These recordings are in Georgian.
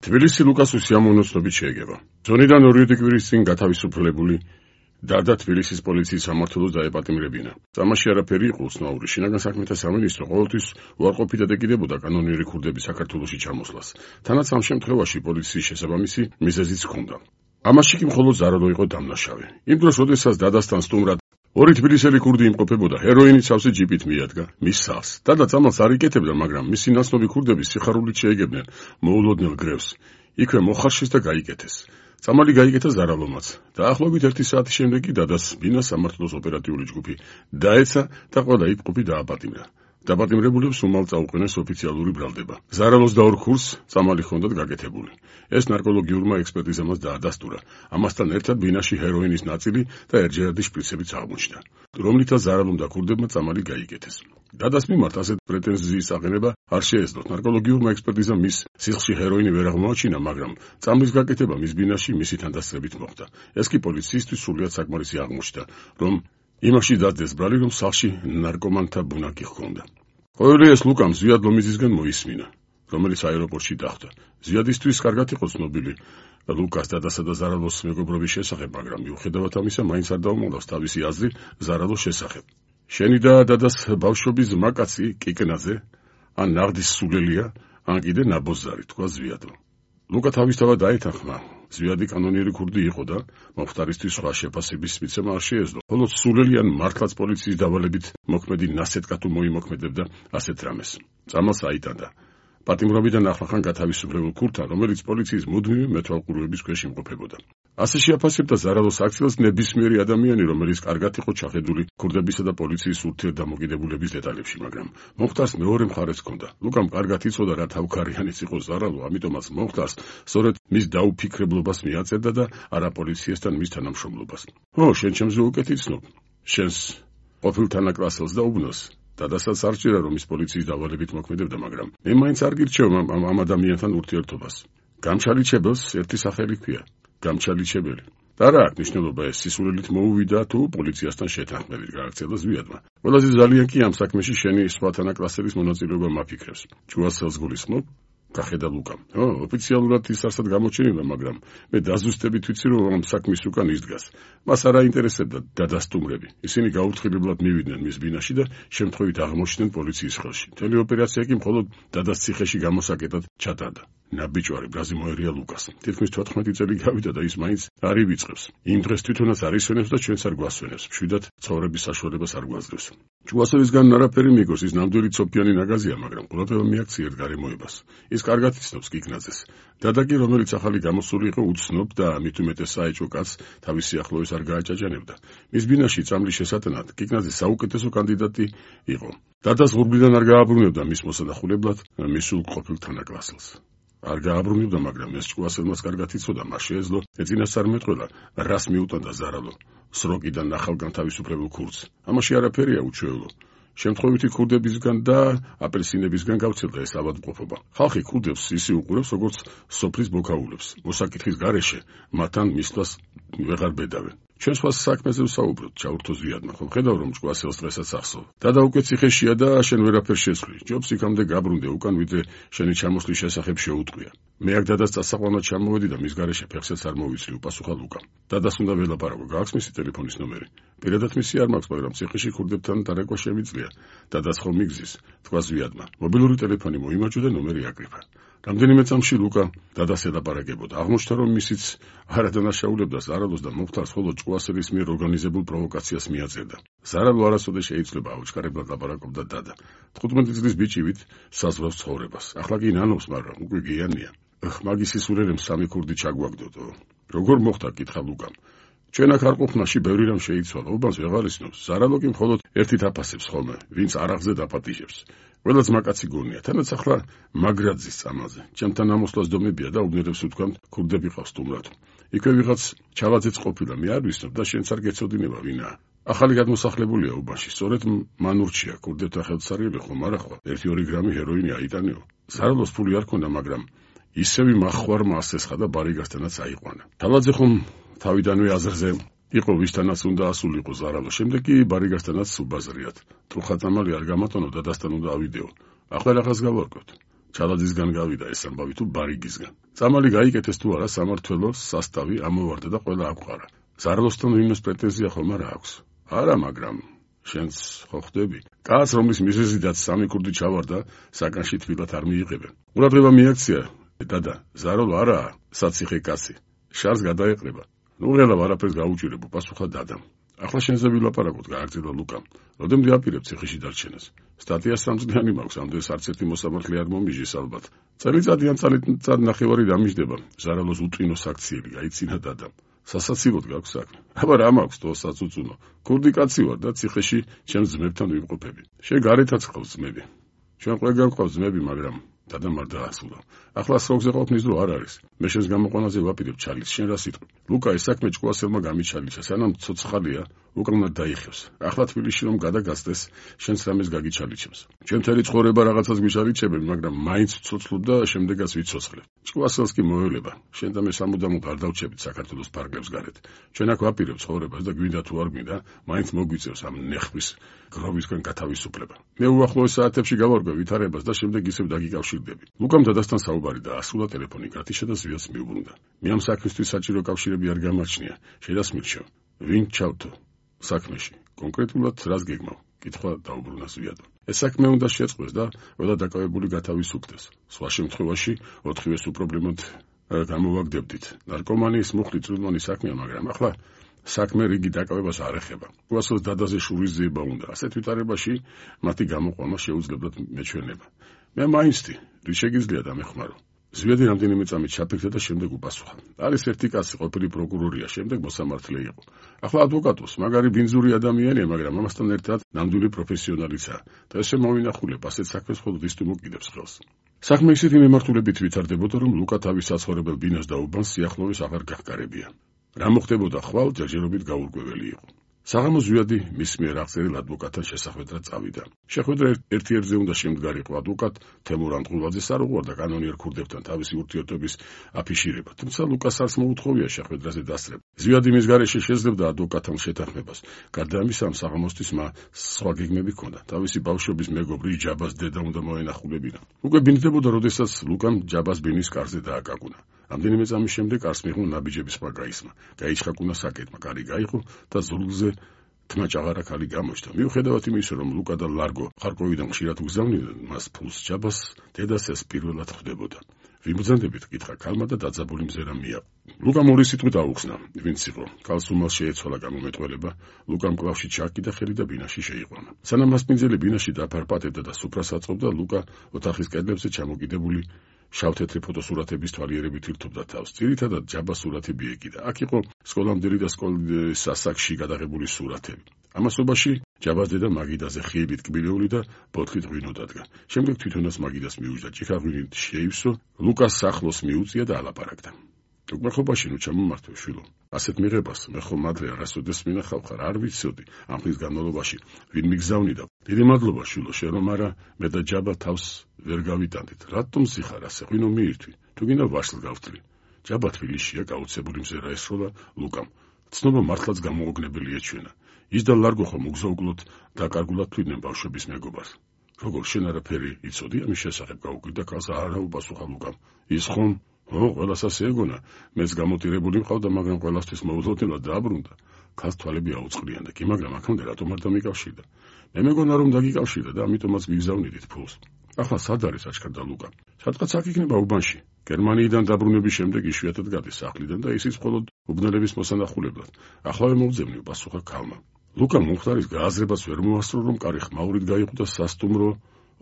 თბილისი ლუკას უსიამოვნებლობით შეეგება. ზონიდან 2 კვირის წინ გათავისუფლებული და თბილისის პოლიციის სამმართველოს დაეპატიმრებინა. წამაში არაფერი იყო უცნაური. შინაგან საქმეთა სამინისტრო ყოველთვის უარყოფით ედეკიდებოდა კანონიერი ქურდების საქართველოში ჩამოსვლას. თანაც ამ შემთხვევაში პოლიციის შესაბამისი მიზეზიც ჰქონდა. ამაში კი მხოლოდ ზარალო იყო დამნაშავე. იმ დროს, როდესაც დადასთან სტუმრად 2 თბილისელი ქურდი იმყოფებოდა, ჰეროინით სავსე ჯიპით მიადგა მის სახლს. დადა წამალს არ იკეთებდა, მაგრამ მისი ნაცნობი ქურდები სიხარულით შეეგებდნენ მოულოდნელ გრევს. იქვე მოხარშეს და გაიკეთეს. წამალი გაიკეთა ზარალომაც. დაახლოებით 1 საათის შემდეგ კი დადას ბინას სამმართველოს ოპერატიული ჯგუფი დაეცა და ყველა იქ ყოფი დააპატიმრა. დაპატიმრებულებს უმალ წაუყენეს ოფიციალური ბრალდება. ზარალოს და 2 ქურს წამალი ჰქონდათ გაკეთებული. ეს ნარკოლოგიურმა ექსპერტიზამ დაადასტურა. ამასთან ერთად ბინაში ჰეროინის ნაწილი და ერთჯერადი შპრიცებიც აღმოჩნდა, რომლითაც ზარალომ და ქურდებმა წამალი გაიკეთეს. დადას მიმართ ასეთ პრეტენზიის აყენება არ შეეძლოთ. ნარკოლოგიურმა ექსპერტიზამ მის სისხლში ჰეროინი ვერ აღმოაჩინა, მაგრამ წამლის გაკეთება მის ბინაში მისი თანდასწრებით მოხდა. ეს კი პოლიციისთვის სრულიად საკმარისი აღმოჩნდა, რომ იმაში დადდეს ბრალი, რომ სახლში ნარკომანთა ბუნაკი ჰქონდა. ყოველი ეს ლუკამ ზვიად ლომიძისგან მოისმინა, რომელიც აეროპორტში დახვდა. ზვიადისთვის კარგად იყო ცნობილი ლუკას დადასა და ზარალოს მეგობრობის შესახებ, მაგრამ მიუხედავად ამისა, მაინც არ დაუმალავს თავისი აზრი ზარალოს შესახებ. შენი და დადას ბავშვობის ზმაკაცი კიკნაძე, ან ნაღდის სულელია, ან კიდე ნაბოზარი, თქვა ზვიადო. ლუკა თავისთავად დაეთანხმა. ზვიადი კანონიერი ქურდი იყო და მომხდარისთვის სხვა შეფასების მიცემა არ შეეძლო. ხოლო სულელიან მართლაც პოლიციის დავალებით მოქმედი ნასეტკა თუ მოიმოქმედებდა ასეთ რამეს. წამალს აიტანდა. პატიმრობიდან ახლახან გათავისუფლებულ ქურთან, რომელიც პოლიციის მუდმივი მეთვალყურეობის ქვეშ იმყოფებოდა. ასე შეაფასებდა ზარალოს აქციას ნებისმიერი ადამიანი, რომელიც კარგად იყო ჩახედული ქურდებისა და პოლიციის ურთიერთდამოკიდებულების დეტალებში, მაგრამ მომხდარს მეორე მხარეც ჰქონდა. ლუკამ კარგად იცოდა, რა თავქარიანიც იყო ზარალო, ამიტომაც მომხდარს სწორედ მის დაუფიქრებლობას მიაწერდა და არა პოლიციასთან მის თანამშრომლობას. შენ ჩემზე უკეთ იცნობ, შენს ყოფილ თანაკლასელს და უბნოს. დადასაც არ ჭირა, რომ ის პოლიციის დავალებით მოქმედებდა, მაგრამ მე მაინც არ გირჩევ ამ ადამიანთან ურთიერთობას. გამჩალიჩებელს ერთი სახელი ჰქვია, გამჩალიჩებელი. და რა აქვს მნიშვნელობა ეს სისულელით მოუვიდა თუ პოლიციასთან შეთანხმებით, გააქცია ზვიადმა. ყველაზე ძალიან კი ამ საქმეში შენი სხვა თანაკლასელის მონაწილეობა მაფიქრებს. ჯუასელს გულისხმობ? გახედა ლუკამ. ოფიციალურად ის არსად გამოჩენილა, მაგრამ მე დაზუსტებით ვიცი, რომ ამ საქმის უკან ის დგას. მას არ აინტერესებდა დადასტუმრები. ისინი გაუთხილებლად მივიდნენ მის ბინაში და შემთხვევით აღმოჩნდნენ პოლიციის ხელში. მთელი ოპერაცია კი მხოლოდ დადას ციხეში გამოსაკეტად ჩატარდა. ნაბიჯვარი ბრაზი მოერია ლუკას. თითქმის 14 წელი გავიდა და ის მაინც არ ივიწყებს. იმ დღეს თვითონაც არ ისვენებს და ჩვენც არ გვასვენებს. მშვიდად ცხოვრების საშუალებას არ გვაძლევს. ჯუასევისგან არაფერი მიგოს, ის ნამდვილი ცოფიანი ნაგაზია, მაგრამ ყურადღება მიაქციეთ გარემოებას. ის კარგად იცნობს კიკნაძეს. დადა კი, რომელიც ახალი გამოსული იყო, უცნობ და მით უმეტეს საეჭვო კაცს თავის სიახლოვეს არ გააჭაჭანებდა. მის ბინაში წამლის შესატანად კიკნაძე საუკეთესო კანდიდატი იყო. დადას ღურბლიდან არ გააბრუნებდა მის მოსანახულებლად მისულ ყოფილ თანაკლასელს. არ გააბრუნებდა, მაგრამ ეს ჯუასელმაც კარგად იცოდა, მას შეეძლო ეწინასწარმეტყველა, რას მიუტანდა ზარალო სროკიდან ახალ განთავისუფლებულ ქურდს. ამაში არაფერია უჩვეულო. შემთხვევითი ქურდებისგან და აპელსინებისგან გავცელდა ეს ავადმყოფობა. ხალხი ქურდებს ისე უყურებს, როგორც სოფლის ბოქაულებს. მოსაკითხის გარეშე მათთან მისვლას ვეღარ ბედავენ. ჩვენ სხვა საქმეზე ვსაუბრობთ, ჩაურთო ზვიადმა, ხომ ხედავ, რომ ჯუასელს დღესაც ახსოვ. დადა უკვე ციხეშია და შენ ვერაფერს შეცვლი. ჯობს იქამდე გაბრუნდე უკან, ვიდრე შენი ჩამოსვლის შესახებ შეუტყვია. მე აქ დადას წასაყვანად ჩამოვედი და მის გარეშე ფეხსაც არ მოვიცლი, უპასუხა ლუკამ. დადას უნდა ველაპარაკო, გააქვს მისი ტელეფონის ნომერი? პირადად მისი არ მაქვს, მაგრამ ციხეში ქურდებთან დარეკვა შემიძლია. დადას ხომ მიგზის, თქვა ზვიადმა. მობილური ტელეფონი მოიმაჭო და ნომერი აკრიფა. რამდენიმე წამში ლუკა დადას ელაპარაკებოდა. აღმოჩნდა, რომ ისიც არ ადანაშაულებდა ზარალოს და მომხდარს მხოლოდ ჯუასელის მიერ ორგანიზებულ პროვოკაციას მიაწერდა. ზარალო არასოდეს შეიძლება აუჩქარებლად ლაპარაკობდა დადა. 15 წლის ბიჭივით საზღვრავს ცხოვრებას. ახლა კი ნანობს, მაგრამ უკვე გიანია. მაგისი სულელემ 3 ქურდი ჩაგვაგდოდო. როგორ მოხდა, კითხა ლუკამ. ჩვენ აქ არ ყოფნაში ბევრი რამ შეიცვალა, უბანს ვეღარ ისნობს. ზარალო კი მხოლოდ ერთით აფასებს ხოლმე, ვინც არაღზე დაპატიჟებს. ყველაც მაკაცი გონია, თანაც ახლა მაგრაძის წამალზე. ჩემთან ამოსვლას დომებია და უბნელებს უთქვამთ, ქურდები ყავს სტუმრად. იქვე ვიღაც ჩავაძეც ყოფილა, მე არ ვისნობ და შენც არ გეცოდინება ვინაა. ახალი გადმოსახლებულია უბანში, სწორედ მან ურჩია ქურდებთან ხელსარიელი ხომ არა ხო? 1-2 გრამი ჰეროინი აიტანეო. ზარალოს ფული არ ქონდა, მაგრამ ისევი მახვარმა ასესხა და ბარიგასთანაც აიყვანა. თავაძე ხომ თავიდანვე აზრზე იყო, ვისთანაც უნდა ასულიყო ზარალო. შემდეგ კი ბარიგასთანაც უბაზრიათ. ტრუხა წამალი არ გამატონო და დასთან უნდა ავიდეო. ახლა რაღაც გავარკვევთ. ჩალაძისგან გავიდა ეს ამბავი თუ ბარიგისგან. წამალი გაიკეთეს თუ არა სამართველოს სასტავი ამოვარდა და ყველა აკვარა. ზარლოსთან ვინმეს პრეტენზია ხომ არა აქვს? არა, მაგრამ შენც ხო ხვდები? კაცს რომლის მიზეზიდაც 3 ქურდი ჩავარდა, საკანში თბილად არ მიიღებენ. ყურადღება მიაქცია, დადა, ზაროლ არაა, საციხე კაცი. შარს გადაეყრება. ნუ ღელა არაფერს გაუჭირებო, პასუხა დადამ. ახლა შენზე ვილაპარაკოთ, გააგრძელა ლუკამ. როდემდე აპირებ ციხეში დარჩენას? სტატია 3 წლიანი მაქვს, ამდენს არც ერთი მოსამართლე არ მომიჟის ალბათ. წელიწადი ან წელიწად ნახევარი დამიждდება. ზარალოს უტვინო საქციელი, გაიცინა დადამ. სასაცილოდ გაქვს საქმე. აბა რა მაქვს თოსაც უწუნო. ქურდი კაცი ვარ და ციხეში ჩემს ძმებთან ვიმყოფები. შენ გარეთაც ყავს ძმები. ჩვენ ყველგან ყავს ძმები, მაგრამ დადამ არ დაასრულა. ახლა სროგზე ყოფნის დრო არ არის. მე შენს გამოყვანაზე ვაპირებ ჩალის, შენ რა სიტყვი? ლუკა ეს საქმე ჭკუასელმა გამიჩალიჩა, სანამ ცოცხალია, უკანა დაიხევს. ახლა თბილისში რომ გადაგასდეს, შენს რამეს გაგიჩალიჩებს. ჩვენ მთელი ცხოვრება რაღაცას გვიჩალიჩებენ, მაგრამ მაინც ვცოცხლობ და შემდეგაც ვიცოცხლებ. ჭკუასელს კი მოელება. შენ და მე სამუდამოდ არ დავჩებით საქართველოს ფარგლებს გარეთ. ჩვენ აქ ვაპირებ ცხოვრებას და გვინდა თუ არ გვინდა, მაინც მოგვიწევს ამ ნეხვის გროვისგან გათავისუფლება. მე უახლოეს საათებში გავარკვევ ვითარებას და შემდეგ ისევ დაგიკავშირდები. ლუკამ დადასთან საუბარი და ასრულა ტელეფონი გათიშა და ზვიადს მიუბრუნდა. მე ამ საქმისთვის საჭირო კავშირები არ გამარჩნია. შედასმილჩო. ვინ ჩავთო საქმეში? კონკრეტულად რას გეგმავ? კითხვა დაუბრუნა ზვიადმა. ეს საქმე უნდა შეწყდეს და ყველა დაკავებული გათავისუფლდეს. სხვა შემთხვევაში 4-ვეს უპრობლემოდ გამოვაგდებდით. ნარკომანიის მუხლი წვრილმანი საქმეა, მაგრამ ახლა საქმე რიგი დაკავებას არ ეხება. უასოს დადაზე შურის ძიება უნდა. ასეთ ვითარებაში მათი გამოყვანა შეუძლებელად მეჩვენება. მე მაინცდი, რის შეგიძლია დამეხმარო. ზვიადი რამდენიმე წამით ჩაფიქრდა და შემდეგ უპასუხა. არის ერთი კაცი, ყოფილი პროკურორია, შემდეგ მოსამართლე იყო. ახლა ადვოკატოს, მაგარი ბინძური ადამიანია, მაგრამ ამასთან ერთად ნამდვილი პროფესიონალიცაა. და ესე მოვინახულებ, ასეთ საქმეს მხოლოდ ის თუ მოკიდებს ხელს. საქმე ისეთი მემართულებით ვითარდებოდა, რომ ლუკა თავის საცხოვრებელ ბინას და უბანს სიახლოვეს აღარ გაჰგარებია. რა მოხდებოდა ხვალ, ჯერჯერობით გაურკვეველი იყო. საღამოს ზვიადი მის მიერ აღწერილ ადვოკატთან შესახვედრად წავიდა. შეხვედრა ერთ-ერთზე უნდა შემდგარიყო. ადვოკატ თემურ ანტღულაძეს არ უყვარდა კანონიერ ქურდებთან თავისი ურთიერთობის აფიშირება, თუმცა ლუკას არც მოუთხოვია შეხვედრაზე დასწრება. ზვიადი მის გარეშე შეძლებდა ადვოკატთან შეთანხმებას. გარდა ამისა, ამ საღამოსთვის მას სხვა გეგმები ჰქონდა. თავისი ბავშვობის მეგობრი ჯაბას დედა უნდა მოენახულებინა. უკვე ბინდებოდა, როდესაც ლუკამ ჯაბას ბინის კარზე დააკაკუნა. რამდენიმე წამის შემდეგ კარს მიიღო ნაბიჯების სხვა გაისმა. გაიჩხაკუნა საკეტმა, კარი გაიყო და ზურგზე თმაჭაღარა ქალი გამოჩნდა. მიუხედავად იმისა, რომ ლუკა და ლარგო ხარკოვიდან ხშირად უგზავნიდნენ მას ფულს, ჯაბას დედას ეს პირველად ხვდებოდა. ვიბრძანდებით, კითხა ქალმა და დაძაბული მზერა მიაყო. ლუკამ ორი სიტყვით აუხსნა, ვინც იყო. ქალს უმალ შეეცვალა გამომეტყველება. ლუკამ კლავში ჩააკიდა ხელი და ბინაში შეიყვანა. სანამ მასპინძელი ბინაში დაფარპატებდა და სუფრას აწყობდა, ლუკა ოთახის კედლებზე ჩამოკიდებული შავ-თეთრი ფოტოსურათების თვალიერებით ირთობდა თავს. ძირითადად ჯაბას სურათები ეკიდა. აქ იყო სკოლამდელი და სკოლის სასაკში გადაღებული სურათები. ამასობაში ჯაბას დედა მაგიდაზე ხიებით კბილეული და ბოთლით ღვინო დადგა. შემდეგ თვითონაც მაგიდას მიუჯდა, ჭიქა ღვინით შეივსო, ლუკას სახლოს მიუწია და ალაპარაკდა. უკმეხობაში ნუ ჩამომართვე შვილო. ასეთ მიღებას მე ხომ ადრე არასოდეს მინახავ ხარ, არ ვიცოდი ამ ხის განმავლობაში ვინ მიგზავნიდა. დიდი მადლობა შვილო, შენ რომ არა მე და ჯაბა თავს ვერ გავიტანდით. რატომ სიხარ ასე ღვინო მიირთვი? თუ გინდა ვაშლ გავთვლი. ჯაბა თბილისშია, გაუცებული მზერა ესროლა ლუკამ. ცნობა მართლაც გამოუგნებელი ეჩვენა. ის და ლარგო ხომ უგზაუკლოდ დაკარგულად თვლიდნენ ბავშვების მეგობარს. როგორ შენ არაფერი იცოდი ამის შესახებ? გაუკვირდა ქალს, არა უპასუხა ლუკამ. ის ხომ ყველას ასე ეგონა. მეც გამოტირებული მყავდა, მაგრამ ყველასთვის მოულოდნელად დააბრუნდა. ქალს თვალები აუწყლიან და კი, მაგრამ აქამდე რატომ არ დამიკავშირდა? მე მეგონა რომ დაგიკავშირდა და ამიტომაც მიგზავნიდით ფულს. ახლა სად არის? აჩქარდა ლუკა. სადღაც აქ იქნება უბანში. გერმანიიდან დაბრუნების შემდეგ იშვიათად გადის სახლიდან და ისიც მხოლოდ უბნელების მოსანახულებლად. ახლა მოვძებნი, პასუხა ქალმა. ლუკა მომხდარის გააზრებას ვერ მოასწრო, რომ კარი ხმაურით გაიყო და სასტუმრო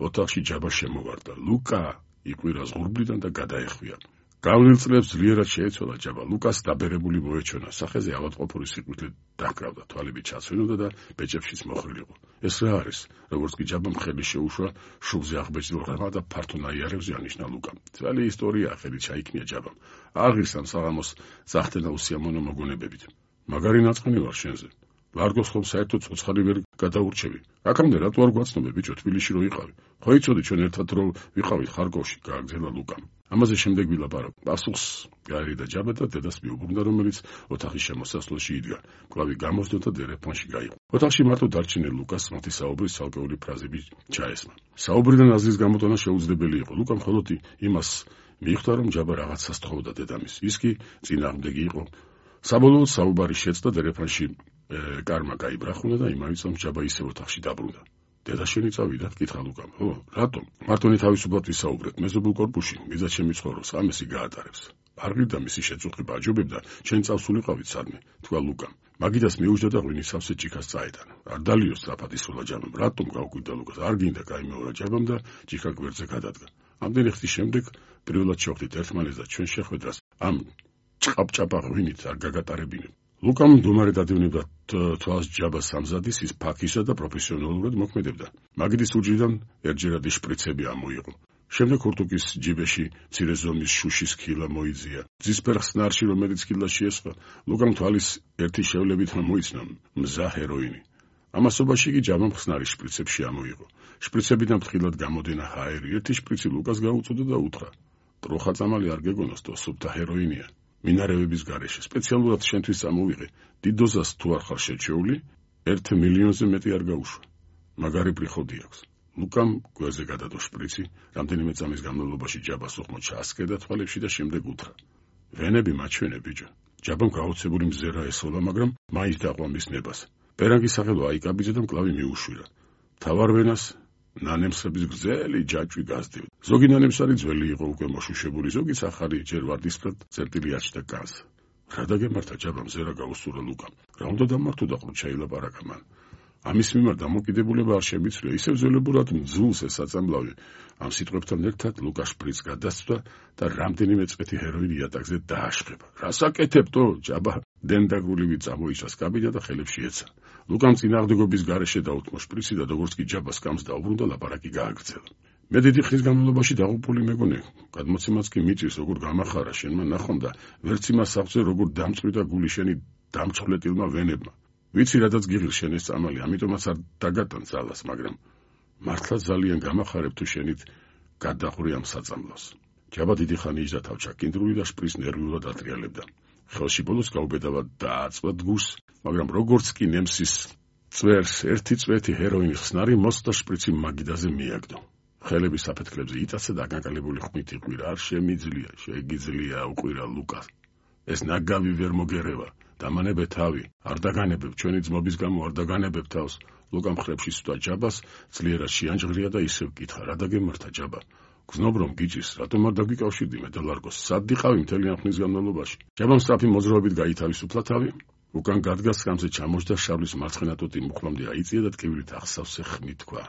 ოთახში ჯაბა შემოვარდა. ლუკა იყვირა ზღურბლიდან და გადაეხვია. გავლილ წლებს ძლიერად შეეცვალა ჯაბა. ლუკას დაბერებული მოეჩვენა. სახეზე ავადმყოფური სიკვდილით დაკრავდა, თვალები ჩაცვენოდა და ბეჭებშიც მოხრილიყო. ეს რა არის? როგორც კი ჯაბამ ხელი შეუშვა, შუბზე აღბეჭდილ ღრმა და ფართო ნაიარევზე ანიშნა ლუკამ. ძველი ისტორია ხელით ჩაიქნია ჯაბამ. აღირსა საღამოს ზახტენა უსიამოვნო მოგონებებით. მაგარი ნაწყანი ვარ შენზე. ლარგოს ხომ საერთოდ ცოცხალი ვერ გადაურჩევი. აქამდე რატო არ გვაცნობე ბიჭო, თბილისში რო იყავი? ხო იცოდი ჩვენ ერთად რო ვიყავით ხარკოვში, გააგრძელა ლუკამ. ამაზე შემდეგ ვილაპარაკ. პასუხს გაერიდა ჯაბა და დედას მიუბრუნდა, რომელიც ოთახის შემოსასვლელში იდგა. კლავი გამოსდო და ტელეფონში გაიყო. ოთახში მარტო დარჩენილ ლუკას მათი საუბრის ცალკეული ფრაზები ჩაესმა. საუბრიდან აზრის გამოტანა შეუძლებელი იყო. ლუკამ მხოლოდ იმას მიხვდა, რომ ჯაბა რაღაცას თხოვდა დედამის. ის კი წინააღმდეგი იყო. საბოლოოდ საუბარი შეწყდა ტელეფონში კარმა გაიბრახუნა და იმავე წამს ჯაბა ისევ ოთახში დაბრუნდა. დედა შენი წავიდა, კითხა ლუკამ. ო, რატომ? მარტონი თავისუფლად ვისაუბრეთ, მეზობელ კორპუსში, მიზად ჩემი ცხოვრობს, ამისი გაატარებს. არღირდა მისი შეწუხება აჯობებდა, შენ წავსულიყავით სადმე, თქვა ლუკამ. მაგიდას მიუჯდა და ღვინის სავსე ჭიქას წაეტანა. არ დალიო სწრაფად ისროლა ჯაბამ. რატომ გავკვირდა ლუკას? არ გინდა გაიმეორა ჯაბამ და ჭიქა გვერდზე გადადგა. ამდენი ხნის შემდეგ პირველად შევხვდით ერთმანეთს და ჩვენ შეხვედრას ამ ჭყაპჭაპა ღვინით არ გაგატარებინებ. ლუკამ მდუმარე დადევნებდა თვალს ჯაბას სამზადის, ის ფაქისა და პროფესიონალურად მოქმედებდა. მაგიდის უჯრიდან ერთჯერადი შპრიცები ამოიღო. შემდეგ ხურტუკის ჯიბეში მცირე ზომის შუშის ქილა მოიძია. ძისფერ ხსნარში, რომელიც ქილაში ესხა, ლუკამ თვალის ერთი შევლებით მოიცნა მზა ჰეროინი. ამასობაში კი ჯაბამ ხსნარის შპრიცებში ამოიღო. შპრიცებიდან ფრთხილად გამოდენა ჰაერი. ერთი შპრიცი ლუკას გაუწოდა და უთხრა: ტროხა წამალი არ გეგონოს, თუ სუფთა ჰეროინია. მინარევების გარეშე სპეციალურად შენთვის წამოვიღე. დიდ დოზას თუ არ ხარ შეჩეული, 1 მილიონზე მეტი არ გაუშვა. მაგარი პრიხოდი აქვს. ლუკამ გვერდზე გადადო შპრიცი, რამდენიმე წამის განმავლობაში ჯაბას უხმოდ ჩაასკერდა თვალებში და შემდეგ უთხრა: ვენები მაჩვენე ბიჭო. ჯაბამ გაოცებული მზერა ესოლა, მაგრამ მაინც დაყვა მის ნებას. პერანგის სახელო აიკაბიძა და მკლავი მიუშვირა. თავარ ვენას ნანემსების გრძელი ჯაჭვი გასდევდა. ზოგი ნანემსარი ძველი იყო, უკვე მოშუშებული, ზოგი სახარი ჯერ ვარდისფრად წერტილი აჩნდა განს. რა დაგემართა ჯაბამ ზერა გაუსურა ლუკამ. რა უნდა დამართო და ყრუ ჩაილაპარაკა მან. ამის მიმართ დამოკიდებულება არ შემიცვლია, ისევ ძველებურად მძულს ეს საწამლავი. ამ სიტყვებთან ერთად ლუკა შპრიცს გადასცდა და რამდენიმე წვეთი ჰეროინი იატაკზე დააშხება. რას აკეთებდო? ჯაბა დენდაგულივი წამოიჭრა კაბინა და ხელებში ეცა. ლუკამ წინააღმდეგობის გარეშე დაუთმო შპრიცი და როგორც კი ჯაბას კამს დაუბრუნდა, ლაპარაკი გააგრძელა. მე დიდი ხნის განმავლობაში დაღუპული მეგონე, გადმოცემაც კი მიწვის, როგორ გამახარა შენმა ნახომ და ვერც იმას აღწევ, როგორ დამწვიდა გული შენი დამწყვეტილმა ვენებმა. ვიცი რადაც გიღირ შენ ეს წამალი, ამიტომაც არ დაგატან ძალას, მაგრამ მართლა ძალიან გამახარებ თუ შენით გადაყური ამ საწამლავს. ჯაბა დიდი ხანი იჯდა თავჩაკინდრული და შპრიცს ნერვიულად ატრიალებდა. ხელში ბოლოს გაუბედავა დააწვა გულს, მაგრამ როგორც კი ნემსის წვერს ერთი წვეთი ჰეროინის ხსნარი მოსდა შპრიცი მაგიდაზე მიაგდო. ხელები საფეთქლებზე იტაცა და განკალებული ხმით იყვირა. არ შემიძლია, შეგიძლია უყვირა ლუკას. ეს ნაგავი ვერ მოგერევა. დამანებე თავი, არ დაგანებებ, ჩვენი ძმობის გამო არ დაგანებებ თავს. ლუკამ ხრებში სვდა ჯაბას, ძლიერად შეანჯღრია და ისევ კითხა: რა დაგემართა ჯაბა? გზნობ რომ გიჭის, რატომ არ დაგიკავშირდი მე და ლარგოს? სად დიყავი მთელი ამ ხნის განმავლობაში? ჯაბამ სწრაფი მოძრაობით გაითავისუფლა თავი. უკან გადგას ხამზე ჩამოჯდა შავლის მარცხენა ტოტი მუხლამდე აიწია და ტკივილით ახსავსე ხმით თქვა: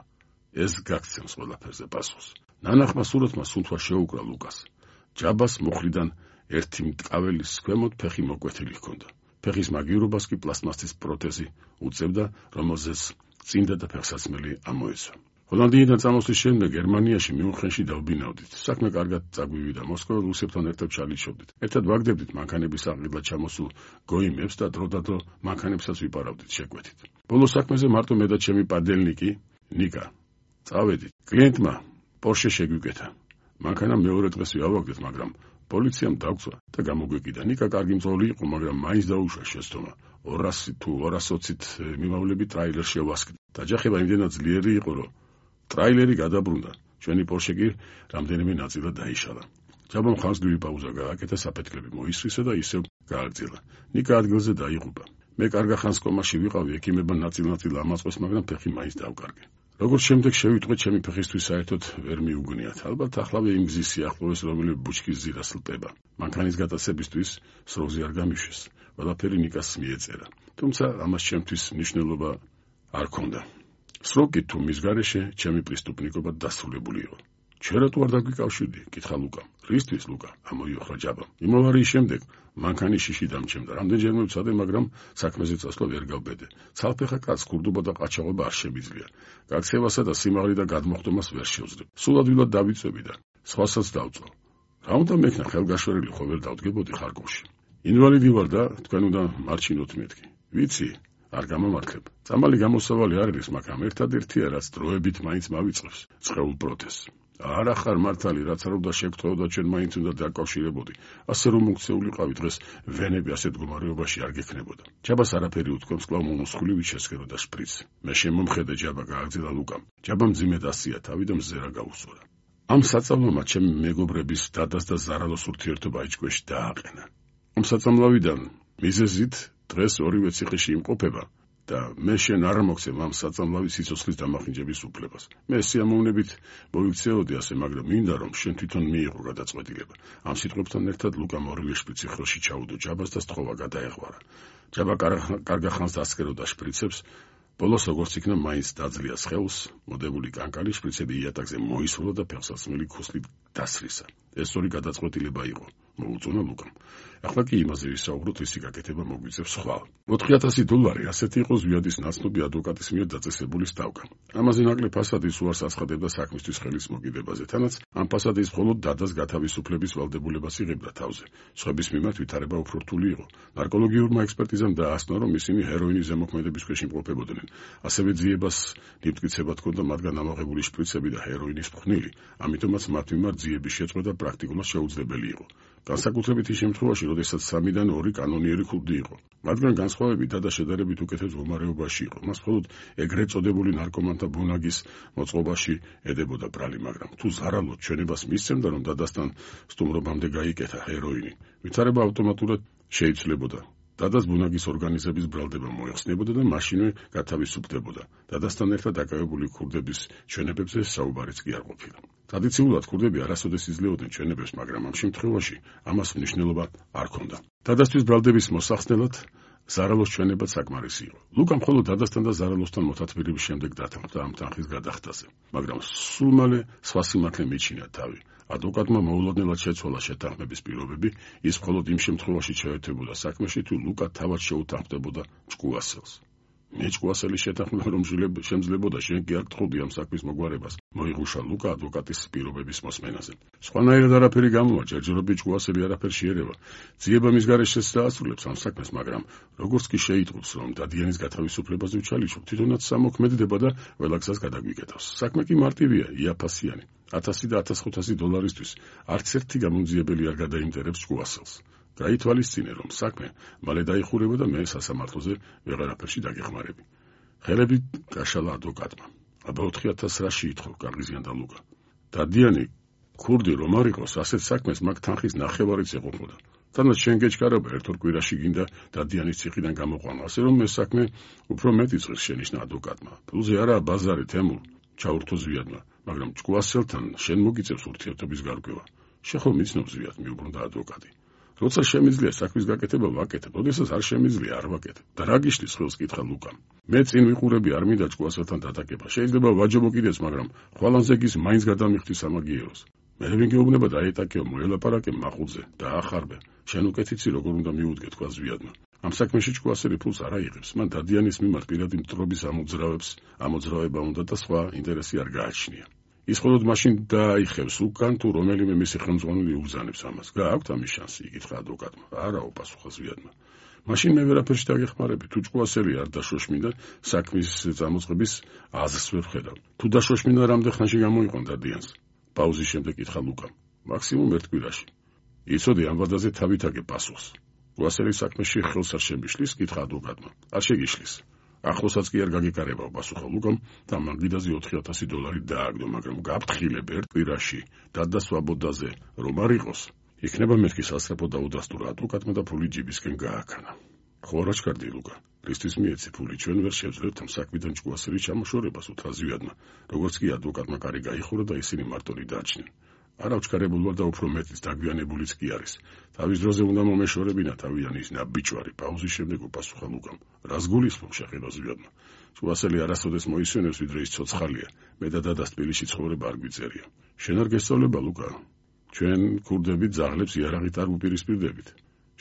ეს გაგცემს ყველაფერზე პასუხს. ნანახმა სურათმა სუნთქვა შეუკრა ლუკას. ჯაბას მუხლიდან ერთი მტკაველის ქვემოთ ფეხი მოკვეთილი ჰქონდა. ფეხის მაგივრობას კი პლასტმასის პროთეზი უწევდა, რომელზეც წინდა და ფეხსაცმელი ამოეცვა. ჰოლანდიიდან წამოსვლის შემდეგ გერმანიაში მიუნხენში დავბინავდით. საქმე კარგად წაგვივიდა. მოსკოველ რუსებთან ერთად ჩალიჩობდით. ერთად ვაგდებდით მანქანების აღგებლად ჩამოსულ გოიმებს და დროდადრო მანქანებსაც ვიპარავდით შეკვეთით. ბოლო საქმეზე მარტო მე და ჩემი პადელნიკი ნიკა წავედით. კლიენტმა პორშე შეგვიკეთა. მანქანა მეორე დღეს ვიავაგდეთ, მაგრამ პოლიციამ დაგწვა და გამოგვეკიდა. ნიკა კარგი მძღოლი იყო, მაგრამ მაინც დაუშვა შეცდომა. 200 თუ 220-ით მიმავლები ტრაილერში შევასკდა. დაჯახება იმდენად ძლიერი იყო, რომ ტრაილერი გადაბრუნდა. ჩვენი პორშე კი რამდენიმე ნაწილად დაიშალა. ჯაბამ ხანსდივი პაუზა გააკეთა, საფეთქლები მოისრისა და ისევ გააგრძელა. ნიკა ადგილზე დაიღუპა. მე კარგა ხანს კომაში ვიყავი, ექიმებმა ნაწილ-ნაწილ ამაწყვეს, მაგრამ ფეხი მაინც დავკარგე. როგორც შემდეგ შევიტყვე, ჩემი ფეხისთვის საერთოდ ვერ მიუგნიათ. ალბათ ახლავე იმ გზის სიახლოვეს, რომელიც ბუჩქის ძირას ლპება. მანქანის გატაცებისთვის სროგი არ გამიშვეს. ყველაფერი ნიკას მიეწერა. თუმცა ამას ჩემთვის მნიშვნელობა არ ჰქონდა. სროგი თუ მის გარეშე ჩემი პრისტუპნიკობა დასრულებული იყო. ჩვენ რატო არ დაგვიკავშირდი? კითხა ლუკამ. რისთვის ლუკა? ამოიოხრა ჯაბამ. იმავე შემდეგ მანქანის შიში დამჩემდა. რამდენჯერმე ვცადე, მაგრამ საქმეზე წასვლა ვერ გავბედე. ცალფეხა კაცს ქურდობა და ყაჩაღობა არ შემიძლია. გაქცევასა და სიმაღლე და გადმოხდომას ვერ შევძლებ. სულ ადვილად დავიწვევი და სხვასაც დავწვა. რა უნდა მექნა, ხელგაშვერილი ხო ვერ დავდგებოდი ხარკოვში. ინვალიდი ვარ და თქვენ უნდა მარჩინოთ მეთქი. ვიცი, არ გამომართლებ. წამალი გამოსავალი არ არის, მაგრამ ერთადერთია, რაც დროებით მაინც მავიწყებს, წყეულ პროთეზს. არა ხარ მართალი, რაც არ უნდა შეგთხოვო და ჩვენ მაინც უნდა დაკავშირებოდი. ასე რომ მოქცეულიყავი დღეს ვენები ასეთ მდგომარეობაში არ გექნებოდა. ჯაბას არაფერი უთქვამს, კვლავ მომსხვილივით შესქეროდა შპრიცი. მე შემომხედე ჯაბა გააგრძელა ლუკამ. ჯაბამ მძიმედ ასია თავი და მზერა გაუსწორა. ამ საწამლომა ჩემი მეგობრების დადას და ზარალოს ურთიერთობა იჭქვეშ დააყენა. ამ საწამლავიდან მიზეზით დღეს ორივე ციხეში იმყოფება და მე შენ არ მოგცემ ამ საწამლავის სიცოცხლის დამახინჯების უფლებას. მე სიამოვნებით მოიქცეოდი ასე, მაგრამ მინდა რომ შენ თვითონ მიიღო გადაწყვეტილება. ამ სიტყვებთან ერთად ლუკამ ორივე შპრიცი ხელში ჩაუდო ჯაბას და სწხოვა გადაეღვარა. ჯაბა კარგა ხანს დასკეროდა შპრიცებს. ბოლოს როგორც იქნა მაინც დაძლია სხეულს, მოდებული კანკალი შპრიცები იატაკზე მოისროლა და ფეხსაცმელი ქუსლით დასრისა. ეს სწორი გადაწყვეტილება იყო, მოუწონა ლუკამ. ახლა კი იმაზე ვისაუბროთ, ისი გაკეთება მოგვიწევს ხვალ. $4,000 ასეთი იყო ზვიადის ნაცნობი ადვოკატის მიერ დაწესებული სტავკა. ამაზე ნაკლებ ფასადის უარს აცხადებდა საქმისთვის ხელის მოგიდებაზე, თანაც ამ ფასადის მხოლოდ დადას გათავისუფლების ვალდებულებას იღებდა თავზე. სხვების მიმართ ვითარება უფრო რთული იყო. ნარკოლოგიურმა ექსპერტიზამ დაასწრო, რომ ისინი ჰეროინის ზემოქმედების ქვეშ იმყოფებოდნენ. ასევე ძიებას ნიმტკიცება თქონდა მათგან ამოღებული შპრიცები და ჰეროინის ფხვნილი, ამიტომაც მათ მიმართ ძიების შეწყვეტა პრაქტიკულად შეუძლებელი იყო. განსაკუთრებით ის შემთხვევაში, როდესაც 3-დან 2 კანონიერი ქურდი იყო. მათგან განსხვავებით დადა შედარებით უკეთეს მდგომარეობაში იყო. მას მხოლოდ ეგრეთ წოდებული ნარკომანთა ბუნაგის მოწყობაში ედებოდა ბრალი, მაგრამ თუ ზარალოდ ჩვენებას მისცემდა, რომ დადასთან სტუმრობამდე გაიკეთა ჰეროინი, ვითარება ავტომატურად შეიცვლებოდა. დადას ბუნაგის ორგანიზების ბრალდება მოეხსნებოდა და მაშინვე გათავისუფლდებოდა. დადასთან ერთად დაკავებული ქურდების ჩვენებებზე საუბარიც კი არ ყოფილა. ტრადიციულად ქურდები არასოდეს იძლეოდნენ ჩვენებებს, მაგრამ ამ შემთხვევაში ამას მნიშვნელობა არ ჰქონდა. დადასთვის ბრალდების მოსახსნელად ზარალოს ჩვენება საკმარისი იყო. ლუკა მხოლოდ დადასთან და ზარალოსთან მოთათბირების შემდეგ დათანხმდა ამ თანხის გადახდაზე, მაგრამ სულ მალე სხვა სიმართლე მიჩინა თავი. ადვოკატმა მოულოდნელად შეცვალა შეთანხმების პირობები, ის მხოლოდ იმ შემთხვევაში ჩაერთვებოდა საქმეში, თუ ლუკა თავად შეუთანხმდებოდა ჭკუასელს. მე ჭკუასელის შეთანხმება რომ შემძლებოდა, შენ კი არ გთხოვდი ამ საქმის მოგვარებას, მოიღუშა ლუკა ადვოკატის პირობების მოსმენაზე. სხვანაირად არაფერი გამოვა, ჯერჯერობით ჭკუასელი არაფერს შეერევა. ძიება მის გარეშეც დაასრულებს ამ საქმეს, მაგრამ როგორც კი შეიტყობს, რომ დადიანის გათავისუფლებაზე ვჩალიჩობ, თვითონაც სამოქმედდება და ყველა გზას გადაგვიკეთავს. საქმე კი მარტივია, იაფასიანი. $1000 და $1500 არც ერთი გამომძიებელი არ გადაიმტერებს ჭკუასელს. გაითვალისწინე, რომ საქმე მალე დაიხურება და მე სასამართლოზე ვეღარაფერში დაგეხმარები. ხელები გაშალა ადვოკატმა. აბა 4000 რა შეითხოვ, გაღიზიანდა ლუკა. დადიანი ქურდი რომ არ იყოს, ასეთ საქმეს მაგ თანხის ნახევარიც ეყოფოდა. თანაც შენ გეჩქარება ერთ-ორ კვირაში გინდა დადიანის ციხიდან გამოყვანა, ასე რომ ეს საქმე უფრო მეტი წელს შენიშნა ადვოკატმა. ფულზე არაა ბაზარი, თემურ, ჩაურთო ზვიადმა, მაგრამ ჭკუასელთან შენ მოგიწევს ურთიერთობის გარკვევა. შეხო მიცნობს ზვიად, მიუბრუნდა ადვოკატი. როცა შემიძლია საქმის გაკეთება ვაკეთებ, როდესაც არ შემიძლია არ ვაკეთებ. და რა გიშლის ხელს კითხა ლუკამ. მე წინ ვიყურები არ მინდა ჭკუასელთან დატაკება. შეიძლება ვაჯობო კიდეც, მაგრამ ხვალანზე გის მაინც გადამიხდი სამაგიეროს. მე ვინ გეუბნება დაეტაკეო, მოელაპარაკე მაყურზე და ახარბე. შენ უკეთიცი როგორ უნდა მიუდგე, თქვა ზვიადმა. ამ საქმეში ჭკუასელი ფულს არ აიღებს. მან დადიანის მიმართ პირადი მტრობის ამოძრავება უნდა და სხვა ინტერესი არ გააჩნია. ის მხოლოდ მაშინ დაიხევს უკან, თუ რომელიმე მისი ხელმძღვანელი უბრძანებს ამას. გააქვთ ამის შანსი, იკითხა ადვოკატმა. არაო, პასუხა ზვიადმა. მაშინ მე ვერაფერში დაგეხმარები. თუ ჭკუასელი არ დაშოშმინდა, საქმის წამოწყების აზრს ვერ ვხედავ. თუ დაშოშმინდა, რამდენ ხანში გამოიყვან დადიანს? პაუზის შემდეგ კითხა ლუკამ. მაქსიმუმ ერთ კვირაში. იცოდი ამ ვადაზე თავით აგე პასუხს. ჭკუასელის საქმეში ხელს არ შემიშლის, კითხა ადვოკატმა. არ შეგიშლის. ახლოსაც კი არ გაგეკარებავ, პასუხა ლუკამ და მაგიდაზე $4000 დააგდო, მაგრამ გაფრთხილებ ერთ კვირაში დადასვაბოდაზე რომ არ იყოს, იქნება მეთქი სასწრაფო და უდასტურა ადვოკატმა და ფული ჯიბისკენ გააქანა. ხო რა ჩქარდი ლუკა, რისთვის მიეცი ფული, ჩვენ ვერ შევძლებთ ამ საქმიდან ჭკუასელის ჩამოშორებას, უთხრა ზვიადმა, როგორც კი ადვოკატმა კარი გაიხურა და ისინი მარტონი დაარჩნენ. არა ვჩქარებული ვარ და უფრო მეტიც დაგვიანებულიც კი არის. თავის დროზე უნდა მომეშორებინა თავიანი ის ნაბიჯვარი. პაუზის შემდეგ უპასუხა ლუკამ. რას გულისხმობ, შეხედა ზვიადმა. ჭკუასელი არასოდეს მოისვენებს, ვიდრე ის ცოცხალია. მე და დადას თბილისში ცხოვრება არ გვიწერია. შენ არ გესწავლება, ლუკა? ჩვენ ქურდები ძაღლებს იარაღით არ ვუპირისპირდებით.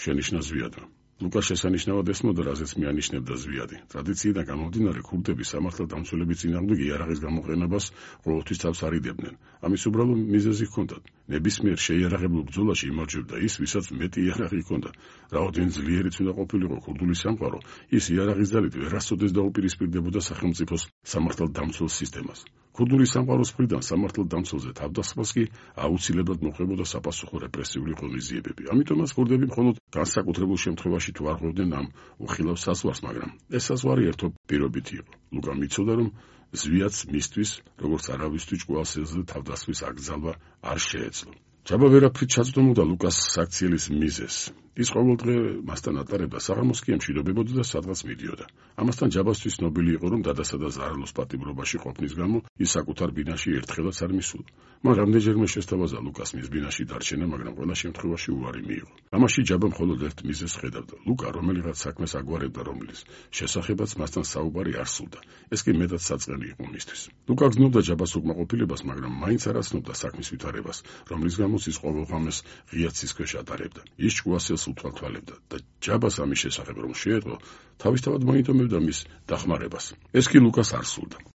შენიშნა ზვიადმა. ლუკა შესანიშნავად ესმოდა, რაზეც მიანიშნებდა ზვიადი. ტრადიციიდან გამომდინარე, ქურდები სამართალდამცველების წინააღმდეგ იარაღის გამოყენებას ყოველთვის თავს არიდებდნენ. ამის უბრალო მიზეზი ჰქონდათ. ნებისმიერ შეიარაღებულ ბრძოლაში იმარჯვებდა ის, ვისაც მეტი იარაღი ჰქონდა. რაოდენ ძლიერიც უნდა ყოფილიყო ქურდული სამყარო, ის იარაღის ძალით ვერასოდეს დაუპირისპირდებოდა სახელმწიფოს სამართალდამცველ სისტემას. ქურდული სამყაროს მხრიდან სამართალ დამცველზე თავდასხმას კი აუცილებლად მოხდებოდა საფასუხო რეპრესიული ღონისძიებები. ამიტომაც ქურდები მხოლოდ განსაკუთრებულ შემთხვევაში თუ არ ხვდებდნენ ამ უხილავ საზღვარს, მაგრამ ეს საზღვარი ერთო პირობითი იყო. ლუკამ იცოდა, რომ ზვიაც მისთვის, როგორც არავისთვის ჭკუალსელზე თავდასხმის აკრძალვა არ შეეძლო. ჯაბა ვერაფრით ჩაწვდომოდა ლუკას საქციელის მიზეზს. ის ყოველდღე მასთან ატარებდა საღამოს კი ემშვიდობებოდა და სადღაც მიდიოდა. ამასთან ჯაბასთვის ნობილი იყო, რომ დადასა და ზარალოს პატიმრობაში ყოფნის გამო ის საკუთარ ბინაში ერთხელაც არ მისულა. მან რამდენჯერმე შესთავაზა ლუკას მის ბინაში დარჩენა, მაგრამ ყველა შემთხვევაში უარი მიიღო. ამაში ჯაბა მხოლოდ ერთ მიზეზს ხედავდა. ლუკა რომელიღაც საქმეს აგვარებდა, რომლის შესახებაც მასთან საუბარი არ სურდა. ეს კი მეტად საწყენი იყო მისთვის. ლუკა გრძნობდა ჯაბას უკმაყოფილებას, მაგრამ მაინც არ აცნობდა საქმის ვითარებას, რომლის გამოც ის ყოველდღამეს ღია ცის ქვეშ ატარებდა. ის ჭკუასელს უთვალთვალებდა და ჯაბას ამის შესახებ რომ შეეძლო, თავისთავად მოინდომებდა მის დახმარებას. ეს კი ლუკას არ სურდა.